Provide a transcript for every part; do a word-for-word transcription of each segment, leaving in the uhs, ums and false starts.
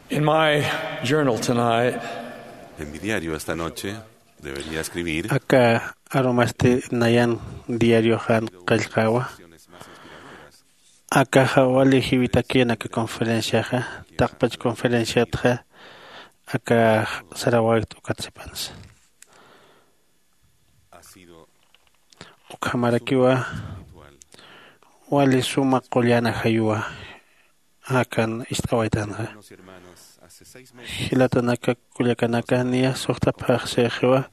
In my journal tonight, En mi diario esta noche debería escribir aka arumasti nayan diarioxan qillqawa. Akaxa wali jiwitakin aka conferenciaxa, taqpach conferenciatxa aka sarawaykt ukat sipansa. Ukhamarakiwa wali suma qullana jayuwa akan ist'awaytanxa. Jilatanaka kullakanaka, niya suxta phaxsixiwa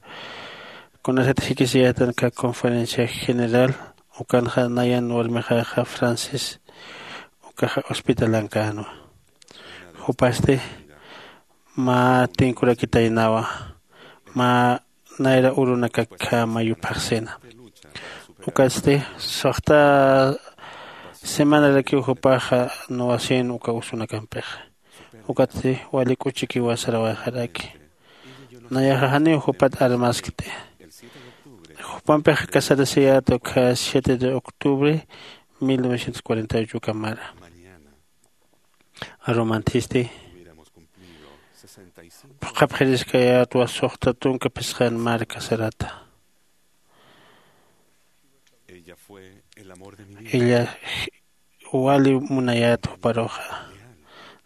kunasat jikisiyatan ka conferencia general ukanxa nayan warmixaxa Francis ukaxa hospitalankanwa. Jupasti mä tinkurakitaynawa, mä nayra urunakakjama yuphaxsina. Ukatsti suxta semanarakiw jupaxa nuwasin uka usunakampixa. Ukatsti wali k'uchikiwa sarawayxaraki. Nayaxa janiw jupat armaskti. Jupampixa casarasiyät ukkha siete de octubre mil novecientos cuarenta y ocho kamara. Arumantisti phuqhapxiriskayätwa suxta tunka phisqan marka sarata. Ella wali munayät juparuxa.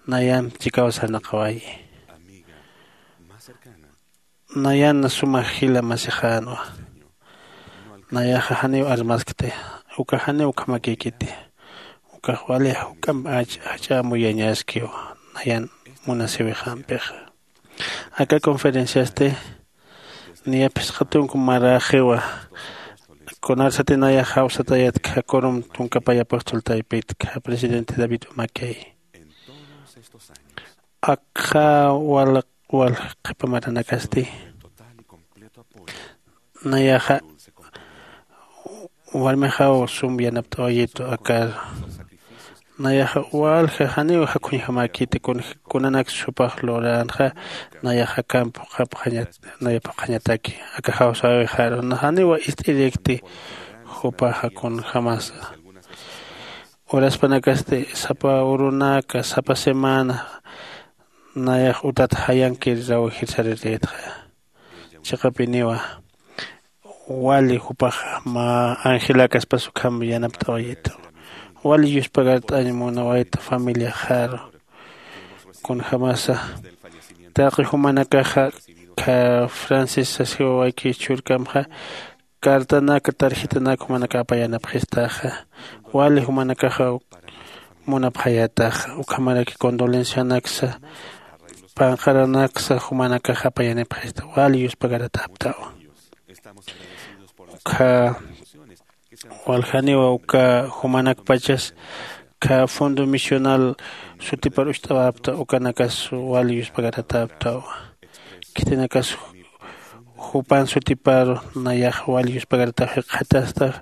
Nayan chikaw sarnaqawayi. Nayan suma jila masixänwa. Nayaxa janiw armaskti. Uka janiw ukhamakïkiti. Ukax wali juk'amp jach'a amuyañaskiw nayan munasiwixampixa. Aka conferenciasti niya phisqa tunka maraxiwa. Kunarsati nayax jawsatayatkxa kurum tunka pay apóstol taypitkxa presidente David Umakey. Akxa wal wal qhipa maranakasti nayaxa warmixaw sum yanapt'awayitu akar. Nayaxa walja janiw jakhuñjamäkiti. Kunanak supax luränxa nayaxa akamp phuqhapxañat naya phuqhañataki. Aka jawsäwixaru janiwa ist'irikti. Jupaxa kunjämasa uraspanakasti sapa urunaka sapa semana nayax utat jayankir rawjir sarirïtxa. Chiqapiniwa wali jupax mä angelakaspas ukham yanapt'awayitu. Wali yuspagart'añ munawayta familiaxaru. Kunjämasa taqi jumanakaxa kha francis sasiwawayki chhurkamxa cartanaka tarjetanaka jumanaka apayanapxistaxa. Wali jumanakaxa munapxayätaxa ukhamaraki condolencianaksa panqaranaksa jumanakaxa apayanipxista wali yuspagaratäptaw. Ukha waljaniwa uka jumanakpachas kha fondo misional sutipar ucht'awapta ukanakas wali yuspagaratäptaw. Khitinakas jupan sutiparu nayax wali yuspagaratap jikxatasta.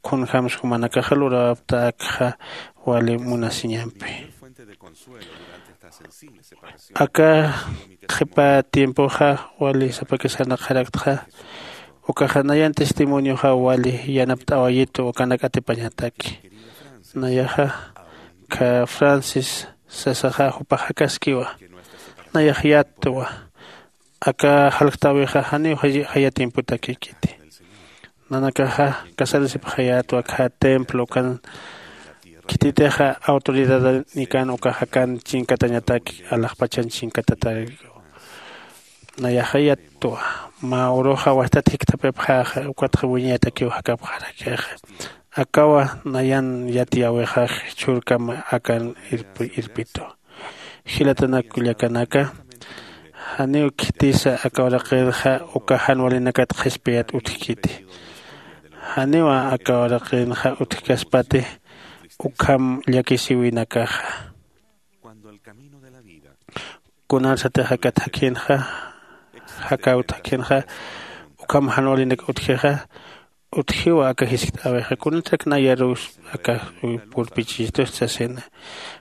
Khunjams jumanakaxa lurawapta akxa wali munasiñampi. Aka qhipa tiempoxa wali sapakisarnaqxaraktxa. Ukaxa nayan testimonioxa wali yanapt'awayitu ukanak atipañataki. Nayaxa kha francis sasaxa jupax jakaskiwa. Nayax yattwa aka jalktäwixa janiw jaya tiempotakïkiti. Nanakaxa casarasipxayätwa kha templo ukan khititixa autoridadanikan ukax akan chinkatañataki alaxpachan chinkatatäkiwa. Nayaxa yattwa mä uruxa wastat jikthapipxäxa ukatxa wiñayatakiw jakapxarakixa. Akawa nayan yatiyäwixax chhurkam akan irpitu. Jilatanak kullakanaka janiw khitisa aka uraqinxa uka jan walinakat qhispiyat utjkiti. Janiwa aka uraqinxa utjkaspati ukham llakisiwinakaxa. Kunarsatix aka thakhinxa jakäwt thakhinxa ukham jan walinak utjixa. Utjiwa aka jiskt'äwixa kunatrak nayaruw aka purpichistust sasina.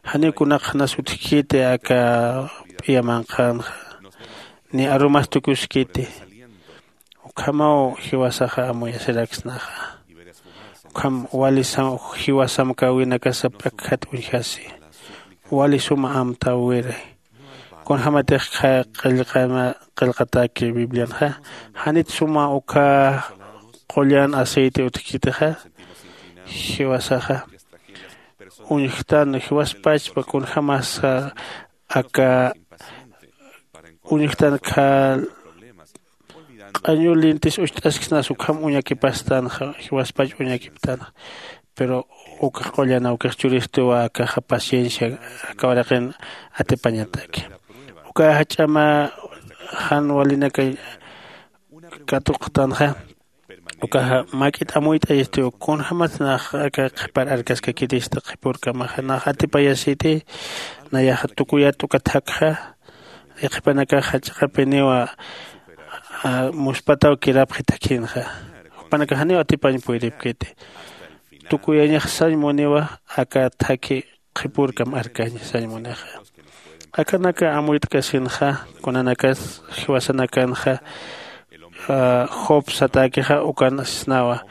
Janiw kunaqxanas utjkiti aka p'iya manqhanxa ni arumas tukuskiti. Ukhamaw jiwasaxa amuyasiraksnaxa. Ukham wali jiwa samkäwinakasa p'akjat uñjasi. Wali suma amtäwiri. kunjämatix qillqataki biblianxa. Janit suma ukha qullan aceite utjkitixa. Jiwasaxa uñjtan jiwaspachpa kunjämasa aka uñjtan kha q'añu lintis ucht'asksnas ukham uñakipastänxa jiwaspach uñakiptänxa. Pero ukax qullan awkix churistuwa akaxa paciencia aka uraqin atipañataki. Ukaxa ch'ama jan walinaka katuqtanxa. Ukaxa mak'it amuyt'ayistiw kunjämatnax aka qhipar arkaskakirista qhipürkamaxa nax atipayasiti. Nayaxa tukuyat uka thakxa. Yaqhipanakaxa chiqapiniwa muspataw kirapxi thakhinxa. Jupanakax janiw atipañ puyripkiti. Tukuyañax sañ muniwa aka thakhi qhipürkam arkañ sañ munixa. Akanaka amuyt'kasinxa kunanakas jiwasanakanxa job satäkixa ukan sisnawa.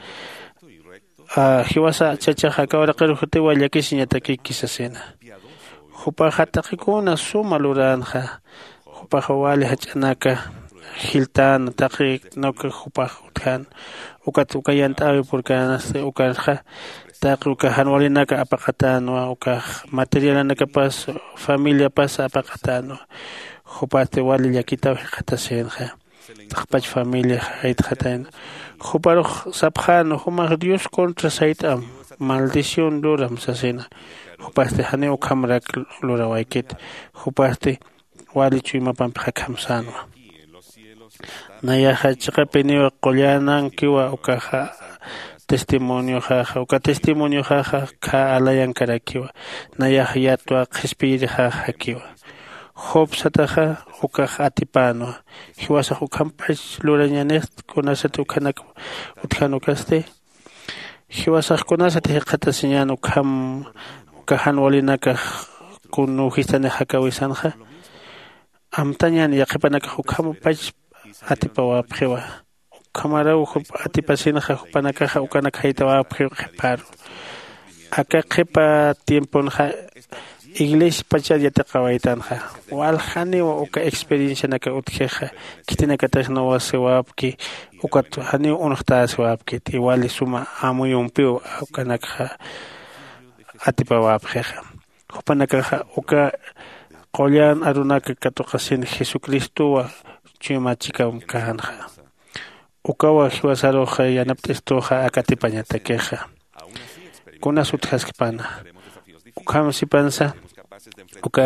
Jiwasa chachaxa aka uraqir jutiwa llakisiñatakiki sasina. Jupaxa taqikuna suma luränxa. Jupaxa wali jach'anaka jiltän taqi nuk jupax utjän. Ukat uka yant'äwi purkänasti ukarxa taqi uka jan walinaka apaqatänwa ukax materialanakapas familiapas apaqatänwa. Jupasti wali llakitaw jikxatasïnxa. Taqpach familia jaytxatayna. Juparux sapxäna jumax dios contra sayt'am maldición luram sasina. Jupasti janiw ukhamarak lurawaykit. Jupasti wali chuymapampi jakjam sänwa. Nayaxa chiqapiniwa qullanankiwa ukaxa testimonioxaxa uka testimonioxaxa kha alayankarakiwa. Nayaxa yatwa qhispiyirixaxa jakiwa. Job sataxa ukax atipänwa. Jiwasax ukhampach lurañanix kunasat ukhanak utjan ukasti. Jiwasax kunasat jikxatasiñän ukham uka jan walinakax kun nuwjistanix jakawisanxa. Amtañan yaqhipanakax ukhampach atipawapxiwa. Ukhamaraw jup atipasinxa jupanakaxa ukanak jaytawapxiw qhiparu. Aka qhipa tiemponxa iglesia pachat yatiqawaytanxa. Waljaniw uka experiencianaka utjixa khitinakatix nuwasiwapki ukat janiw unxtäsiwapkit iwali suma amuyumpiw ukanakxa atipawapxixa. Jupanakaxa uka qullan arunaka katuqasin jesucristowa chuymachikamkänxa. Ukawa jiwasarux yanapt'istuxa akatipañatakixa. Kunas utjaskpana ukham sipansa uka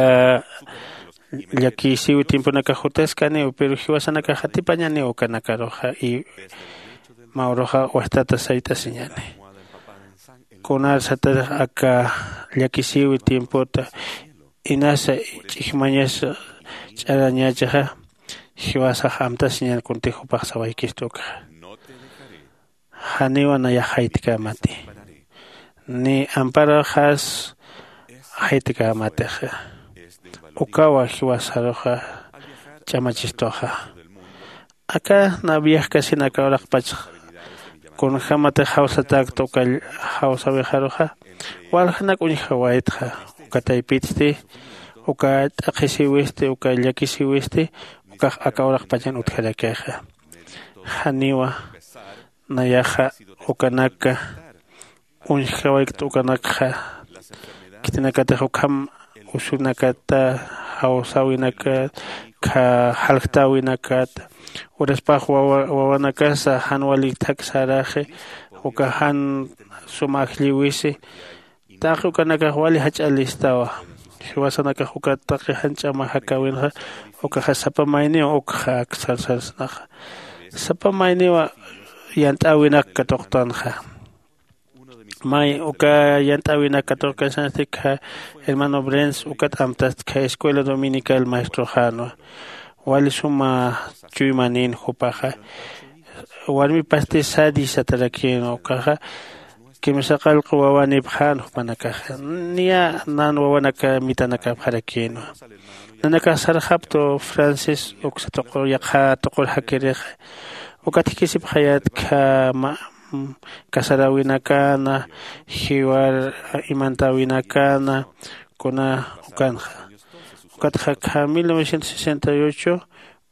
llakisiwi tiemponakax jutaskaniw pero jiwasanakax atipañaniw ukanakaruxa y mä uruxa wajtata sayt'asiñani. Kunar satarix aka llakisïwi tiempota inasa ch'ijmañas ch'arañächixa. Jiwasax amtasiñan kuntix jupax sawaykistu ukxa. Janiwa nayax jaytkämati ni amparaxas jaytkämatixa. Ukawa jiwasaruxa ch'amachistuxa. Aka na viajkasin aka uraqpach kunjämatix jawsatäkta uka jawsäwixaruxa waljanak uñjawaytxa. Uka taypitsti uka t'aqhisïwisti uka llakisïwisti ukax aka uraqpachan utjarakixa. Janiwa nayaxa ukanaka uñjkawaykt ukanakxa khitinakatix ukham usunakata jawsäwinakat kha jaljtäwinakat uraspax wawanakasa jan wali thak säraxi uka jan suma ajllïwisi. Taqi ukanakax wali jach'a listawa. Jiwasanakax uka taqi jan ch'ama jakäwinxa ukaxa sapa mayniw ukxa aksarsarasnaxa. Sapa mayniwa yant'äwinak katuqtanxa. May uka yant'äwinak katuqkasansti kha hermano brens ukat amtast kha escuela dominical maestroxänwa. Wali suma chuymanin jupaxa warmipasti sadi satarakïnwa ukaxa kimsa qallqu wawanipxän jupanakaxa niya nan wawanaka mitanakapxarakïnwa. Nanakax sarxaptu francis uksa tuqur yaqha tuqur jakirix ukat jikisipxayät kha casaräwinakana jiwar imantäwinakana kuna ukanxa. Ukatxa kha mil novecientos sesenta y ocho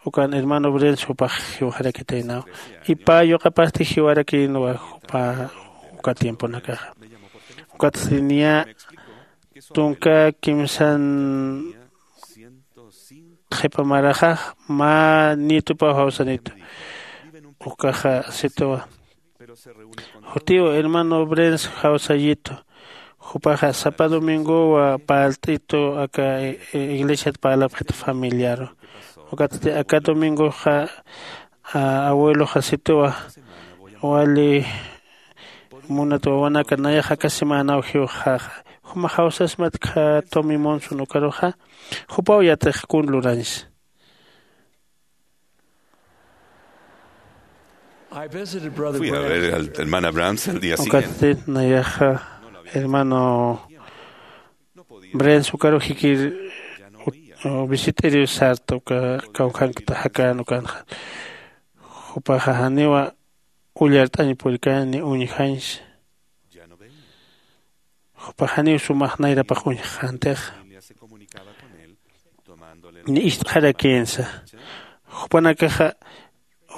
ukan hermano brenz jupax jiwxarakitaynaw. Ipa yuqapasti jiwarakïnwa jupa uka tiemponakaxa. Ukatsti niya tunka kimsan qhipa maraxax mä nietupaw jawsanitu. Ukaxa situwa jutiw hermano brenz jawsayitu. Jupaxa sapa domingowa parlt'itu aka iglesiat parlapxit familiaru. Ukatsti aka domingoxa abueloxa situwa wali munat wawanaka nayax aka semanaw jiwxaxa. Juma jawsasmat kha tomi monson ukaruxa jupaw yatix kun lurañsa. Fui a ver al hermana Brams al día siguiente. Ukatsti nayaxa hermano brenz ukaru jikir visit'iriw sarta uka kawkhankta jakan ukanxa. Jupaxa janiwa ullart'añ purikani uñjañsa. Jupax janiw sumax nayrapax uñjxäntixa ni ist'xarakïnsa. Jupanakaxa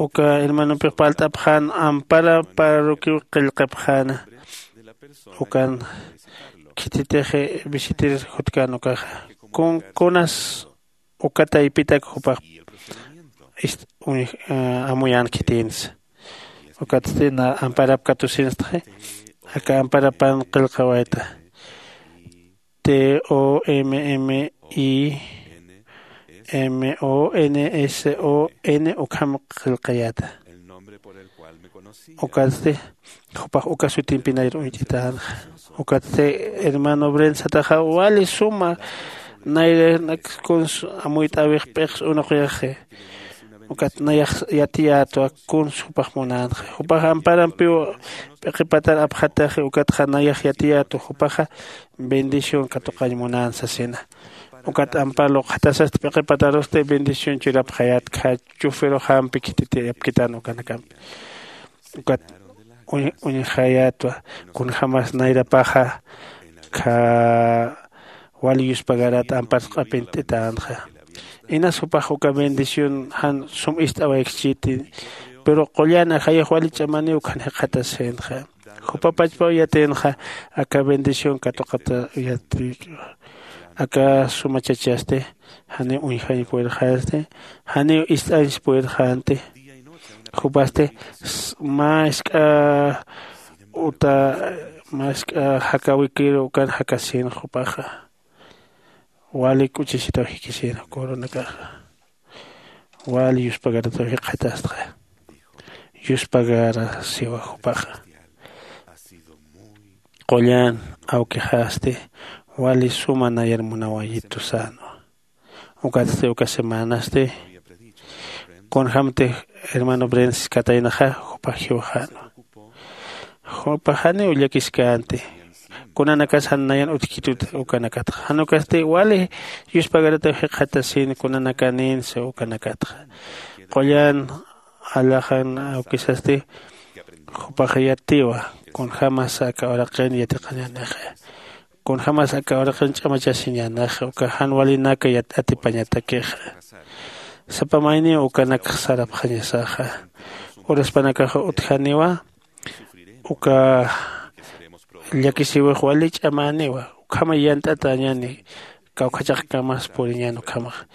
uka hermanompix parlt'apxän ampara parroquiaw qillqapxäna. Ukan khititix visitir jutkan ukaxa kunas uka taypitak jupax amuyän khitïnsa. Ukatsti na amparap katusinstxi aka amparapan qillqawayta. T o m m i m o n s o n ukham qillqayäta. Ukatsti jupax uka sutimpi nayra uñt'itänxa. Ukatsti hermano brensataxa wali suma nayranaks kuns amuyt'äwix p'iqs unuqyaxi. Ukat nayax yatiyätwa kuns jupax munänxa. Jupax amparampiw p'iqipatar apxataxi ukatxa nayax yatiyätwa jupaxa bendición katuqañ munän sasina. Ukat ampar luqjatasasti p'iqipatarusti bendición churapxayät kha chufiruxampi khititiyapkitan ukanakampi. Ukat uñjayätwa kunjämas nayrapaxa kha wali yuspagarat ampar sq'apint'itänxa. Inas jupax uka bendición jan sum ist'awaykchiti. Pero qullan ajayux wali ch'amaniw ukhan jikxatasïnxa. Jupa pachpaw yatïnxa aka bendición katuqata yatïkwa. Aka sumachachasti janiw uñjañ purirxänti janiw ist'añs purirxänti. Jupasti mä isk'a uta mä isk'a jakäwikiru ukan jakasïn jupaxa. Wali k'uchisitaw jikisïn jukurunakäxa. Wali yuspagarataw jikxatastxa. Yuspagara siwa jupaxa. Qullan awkixasti wali suma nayar munawayitu sänwa. Ukatsti uka semanasti kunjämtix hermano brenskataynaxa jupax jiwxänwa. Jupax janiw llakiskänti. Kunanakas jan nayan utjkitut ukanakatxa jan ukasti wali yuspagarataw jikxatasïn kunanakanïnsa ukanakatxa. Qullan alaxan awkisasti jupax yatiwa kunjämas aka uraqin yatiqañänixa. Kunjämas aka uraqin ch'amachasiñänixa uka jan walinaka atipañatakixa. Sapa mayniw ukanakx sarapxañasaxa. Uraspanakax utjaniwa uka llakisiwix wali ch'amäniwa. Ukhamay yant'atäñäni kawkhachaqkamas puriñän ukhamaxa.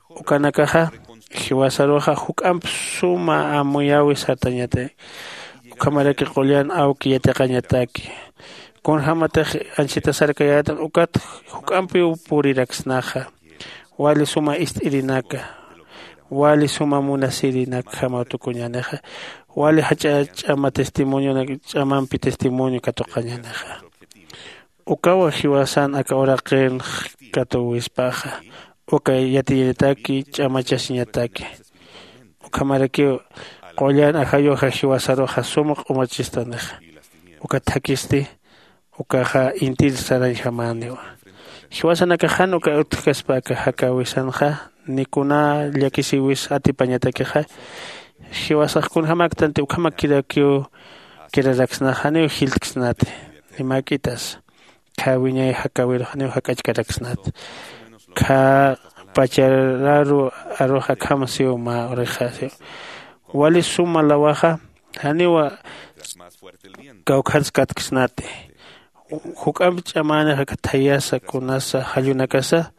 Ukanakaxa jiwasaruxa juk'amp suma amuyäwi sartañatay. Ukhamaraki qullan awki yatiqañataki. Kunjämatix anchhita sarkayätan ukat juk'ampiw puriraksnaxa. Wali suma ist'irinaka wali suma munasirinakjamaw tukuñänixa. Wali jach'a ch'ama testimonionak ch'amampi testimonio katuqañänixa. Ukawa jiwasan aka uraqinx katuwispaxa uka yatiñataki ch'amachasiñataki. Ukhamarakiw qullan ajayuxa jiwasaruxa suma q'umachistanixa. Ukat thakisti ukaxa intir sarañjamäniwa. Jiwasanakax jan uka utjkaspa aka jakäwisanxa ni kuna llakisiwis atipañatakixa. Jiwasax kunjämäktanti ukhamakirakiw kiraraksnax janiw jiltksnati. Ni mäk'itas khä wiñay jakäwirux janiw jak'achkaraksnati. Khä pachararu arux akham siw mä orejasiw. Wali suma lawaxa janiwa kawkhanskatkisnati. Juk'amp ch'amänixa thayasa kunasa jallunakasa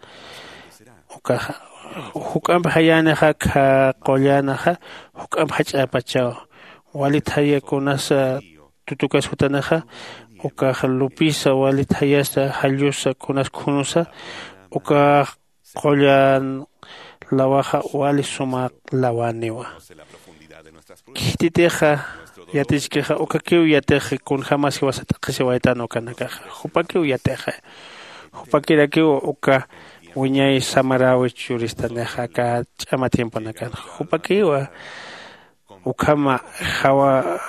ukaxa juk'amp jayänixa khä qullanaxa juk'amp jach'apachaw. Wali thaya kunasa tutukas jutanixa ukax lupisa wali thayasa jallusa kunas khunusa ukax qullan lawaxa wali sumaq lawaniwa. Khititixa yatichkixa ukakiw yatix kunjämas jiwasa t'aqhisiwaytan ukanakaxa jupakiw yatixa. Jupakirakiw uka wiñay samaräwi churistanixa aka ch'ama tiemponakanxa jupakiwa ukhama jawa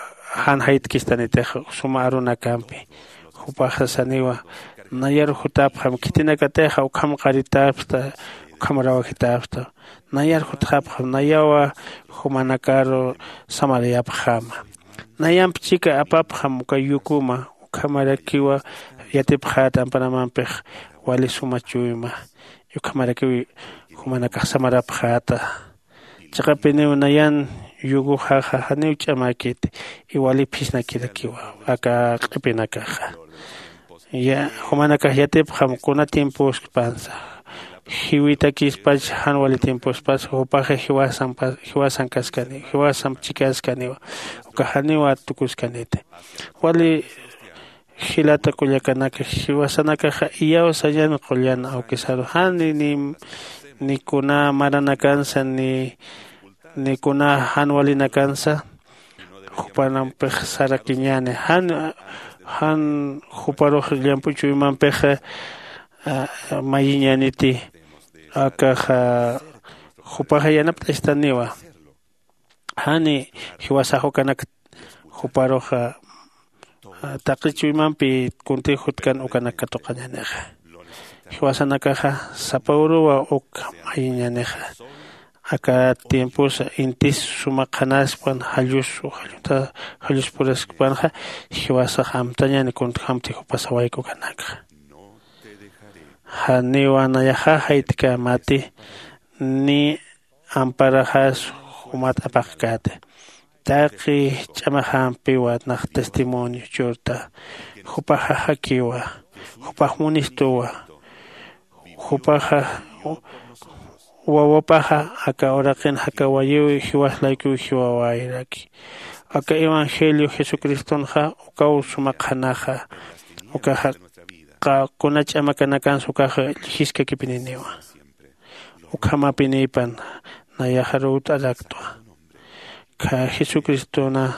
jan jaytkistanitix suma arunakampi. Jupaxa saniwa nayar jutapxam khitinakatixa ukham qaritäpxta ukham rawajitapxta. Nayar jutxapxam nayawa jumanakaru samarayapxama. Nayamp chika apapxam uka yukuma ukhamarakiwa yatipxäta ampanamampix wali suma chuyma. Ukhamarakiw jumanakax samarapxäta. Chiqapiniw nayan yuguxaxa janiw ch'amäkiti iwali phisnakirakiwa aka q'ipinakaxa. Jumanakax yatipxam kuna tiemposkpansa jiwitakispach jan wali tiempospasa jupaxa jiwasamp jiwasankaskaniwa jiwasamp chikaskaniwa. Uka janiw atukuskaniti wali jilata kullakanaka jiwasanakaxa iyaw sañan qullan awkisaru jan ni ni kuna maranakansa ni ni kuna jan walinakansa jupanampix sarakiñäni jan jan juparux llamp'u chuymampixa mayiñäniti. Akaxa jupaxa yanapt'astaniwa jani jiwasax ukanak juparuxa taqi chuymampi kuntix jutkan ukanak katuqañänixa. Jiwasanakaxa sapa uruwa uk mayiñänixa aka tiemposa intis suma qhanaspan jallusu jalluta jalluspuraskpanxa jiwasax amtañäni kuntjamti jupasawaykukanakxa. Janiwa nayaxa jaytkämati ni amparaxas jumat apaqkäti. Taqi ch'amaxampiwa nax testimonio churta jupax jajakiwa jupax munistuwa. Jupaxa wawapaxa aka uraqin jakawayiw jiwas laykuw jiwawayraki. Aka evangelio jesucristonxa ukaw suma qhanaxa ukaxa kuna ch'amakanakansa ukaxa llijiskakipininiwa. Ukhamapinïpan nayaxaruw t'araktwa. Jesucristona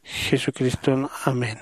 jesucriston amén.